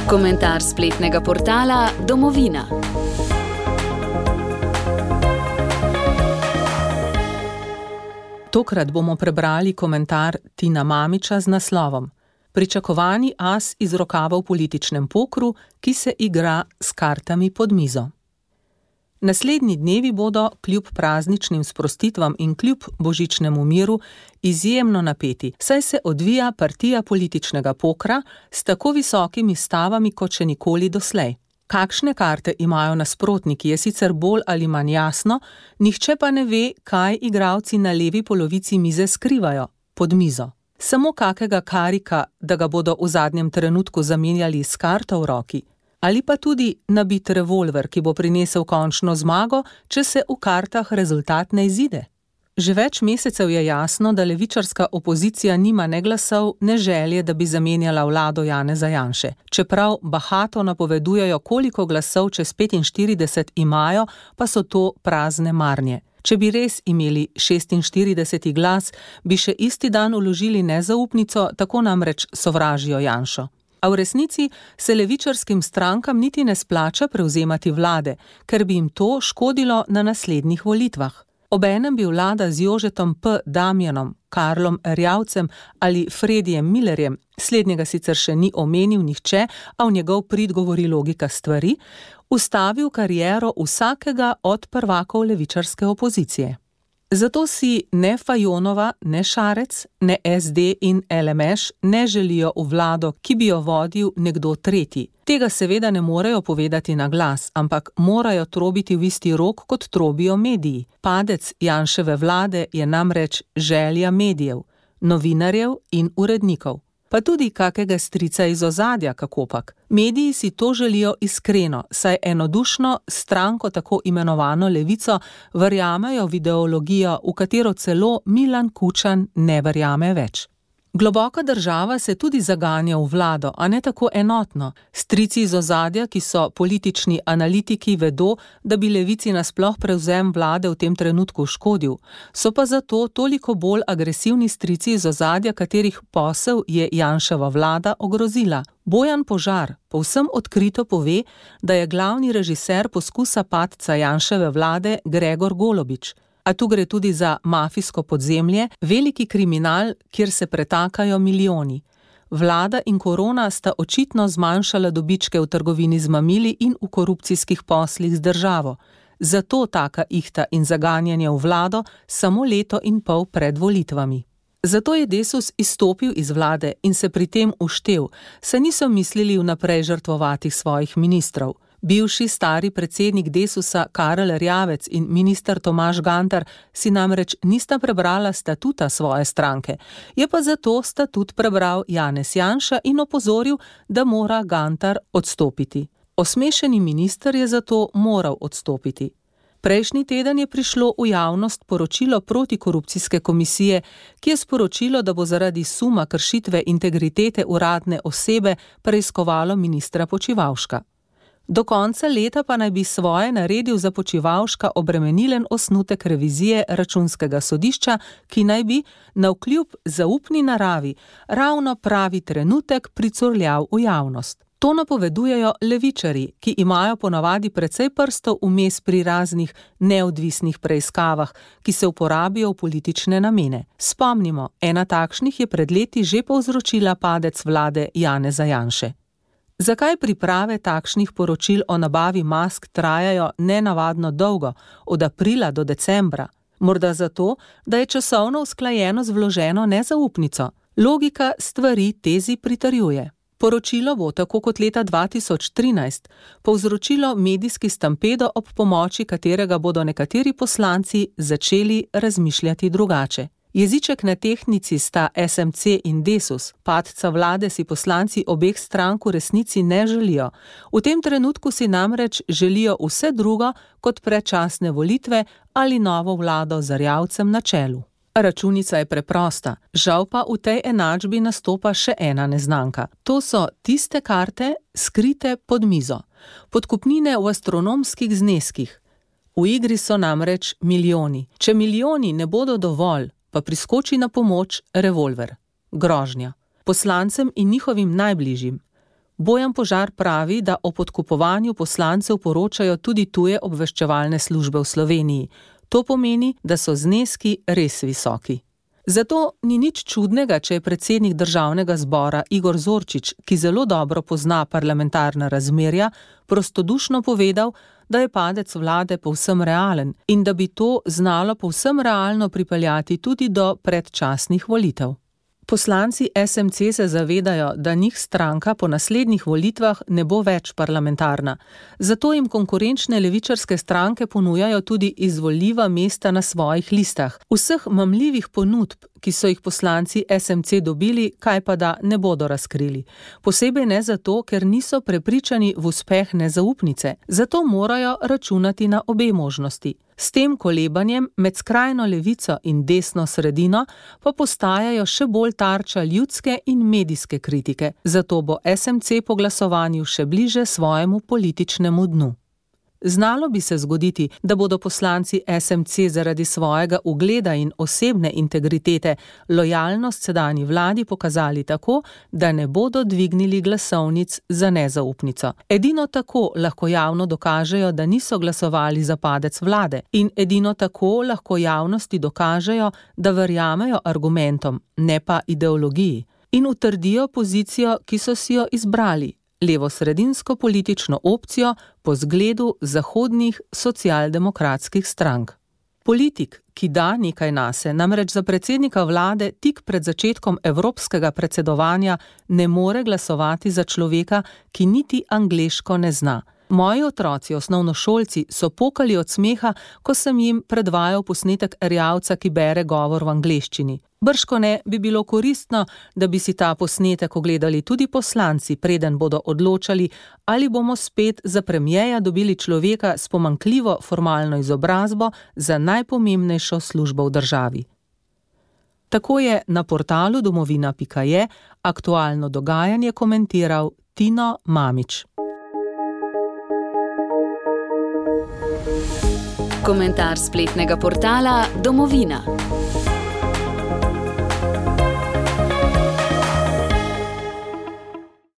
Komentar spletnega portala Domovina. Tokrat bomo prebrali komentar Tina Mamića z naslovom Pričakovani as iz rokava v političnem pokru, ki se igra s kartami pod mizo. Naslednji dnevi bodo, kljub prazničnim sprostitvam in kljub božičnemu miru, izjemno napeti, saj se odvija partija političnega pokra s tako visokimi stavami kot še nikoli doslej. Kakšne karte imajo nasprotniki, je sicer bolj ali manj jasno, nihče pa ne ve, kaj igralci na levi polovici mize skrivajo pod mizo. Samo kakega karika, da ga bodo v zadnjem trenutku zamenjali s karto v roki, ali pa tudi nabit revolver, ki bo prinesel končno zmago, če se v kartah rezultat ne izide. Že več mesecev je jasno, da levičarska opozicija nima ne glasov, ne želje, da bi zamenjala vlado Janeza Janše. Čeprav bahato napovedujejo, koliko glasov čez 45 imajo, pa so to prazne marnje. Če bi res imeli 46. glas, bi še isti dan vložili nezaupnico, tako namreč sovražijo Janšo. A v resnici se levičarskim strankam niti ne splača prevzemati vlade, ker bi jim to škodilo na naslednjih volitvah. Obenem bi vlada z Jožetom P. Damjanom, Karlom Erjavcem ali Fredijem Millerjem, slednjega sicer še ni omenil nihče, a v njegov prid govori logika stvari, ustavil kariero vsakega od prvakov levičarske opozicije. Zato si ne Fajonova, ne Šarec, ne SD in LMŠ ne želijo v vlado, ki bi jo vodil nekdo tretji. Tega seveda ne morejo povedati na glas, ampak morajo trobiti v isti rok, kot trobijo mediji. Padec Janševe vlade je namreč želja medijev, novinarjev in urednikov. Pa tudi kakega strica iz ozadja, kakopak. Mediji si to želijo iskreno, saj enodušno stranko tako imenovano levico verjamejo v ideologijo, v katero celo Milan Kučan ne verjame več. Globoka država se tudi zaganja v vlado, a ne tako enotno. Strici iz ozadja, ki so politični analitiki, vedo, da bi levici nasploh prevzem vlade v tem trenutku škodil. So pa zato toliko bolj agresivni strici iz ozadja, katerih posel je Janševa vlada ogrozila. Bojan Požar povsem odkrito pove, da je glavni režiser poskusa padca Janševe vlade Gregor Golobič. A tu gre tudi za mafijsko podzemlje, veliki kriminal, kjer se pretakajo milijoni. Vlada in korona sta očitno zmanjšala dobičke v trgovini z mamili in v korupcijskih poslih z državo. Zato taka ihta in zaganjanje v vlado samo leto in pol pred volitvami. Zato je Desus izstopil iz vlade in se pri tem uštel, saj niso mislili vnaprej žrtvovati svojih ministrov. Bivši stari predsednik Desusa Karel Erjavec in minister Tomaž Gantar si namreč nista prebrala statuta svoje stranke, je pa zato statut prebral Janez Janša in opozoril, da mora Gantar odstopiti. Osmešeni minister je zato moral odstopiti. Prejšnji teden je prišlo v javnost poročilo protikorupcijske komisije, ki je sporočilo, da bo zaradi suma kršitve integritete uradne osebe preiskovalo ministra Počivalška. Do konca leta pa naj bi svoje naredil za Počivalška obremenilen osnutek revizije Računskega sodišča, ki naj bi, navkljub zaupni naravi, ravno pravi trenutek pricurljal v javnost. To napovedujejo levičarji, ki imajo ponavadi precej prstov vmes pri raznih neodvisnih preiskavah, ki se uporabijo v politične namene. Spomnimo, ena takšnih je pred leti že povzročila padec vlade Janeza Janše. Zakaj priprave takšnih poročil o nabavi mask trajajo nenavadno dolgo, od aprila do decembra? Morda zato, da je časovno usklajeno z vloženo nezaupnico. Logika stvari tezi pritrjuje. Poročilo bo, tako kot leta 2013, povzročilo medijski stampedo, ob pomoči katerega bodo nekateri poslanci začeli razmišljati drugače. Jeziček na tehtnici sta SMC in Desus, padca vlade si poslanci obeh strank v resnici ne želijo. V tem trenutku si namreč želijo vse drugo kot predčasne volitve ali novo vlado z Erjavcem na čelu. Računica je preprosta, žal pa v tej enačbi nastopa še ena neznanka. To so tiste karte, skrite pod mizo. Podkupnine v astronomskih zneskih. V igri so namreč milijoni. Če milijoni ne bodo dovolj, pa priskoči na pomoč revolver, grožnja, poslancem in njihovim najbližjim. Bojan Požar pravi, da o podkupovanju poslancev poročajo tudi tuje obveščevalne službe v Sloveniji. To pomeni, da so zneski res visoki. Zato ni nič čudnega, če je predsednik Državnega zbora Igor Zorčič, ki zelo dobro pozna parlamentarna razmerja, prostodušno povedal, da je padec vlade povsem realen in da bi to znalo povsem realno pripeljati tudi do predčasnih volitev. Poslanci SMC se zavedajo, da njih stranka po naslednjih volitvah ne bo več parlamentarna. Zato jim konkurenčne levičarske stranke ponujajo tudi izvoljiva mesta na svojih listah. Vseh mamljivih ponudb, ki so jih poslanci SMC dobili, kaj pa da ne bodo razkrili. Posebej ne zato, ker niso prepričani v uspeh nezaupnice. Zato morajo računati na obe možnosti. S tem kolebanjem med skrajno levico in desno sredino pa postajajo še bolj tarča ljudske in medijske kritike, zato bo SMC po glasovanju še bliže svojemu političnemu dnu. Znalo bi se zgoditi, da bodo poslanci SMC zaradi svojega ugleda in osebne integritete lojalnost sedanji vladi pokazali tako, da ne bodo dvignili glasovnic za nezaupnico. Edino tako lahko javno dokažejo, da niso glasovali za padec vlade in edino tako lahko javnosti dokažejo, da verjamejo argumentom, ne pa ideologiji, in utrdijo pozicijo, ki so si jo izbrali. Levosredinsko politično opcijo po zgledu zahodnih socialdemokratskih strank. Politik, ki da nekaj nase, namreč za predsednika vlade tik pred začetkom evropskega predsedovanja ne more glasovati za človeka, ki niti angleško ne zna. Moji otroci, osnovnošolci, so pokali od smeha, ko sem jim predvajal posnetek Erjavca, ki bere govor v angleščini. Bržkone bi bilo koristno, da bi si ta posnetek ogledali tudi poslanci, preden bodo odločali, ali bomo spet za premierja dobili človeka s pomanjkljivo formalno izobrazbo za najpomembnejšo službo v državi. Tako je na portalu domovina.je aktualno dogajanje komentiral Tino Mamić. Komentar spletnega portala Domovina.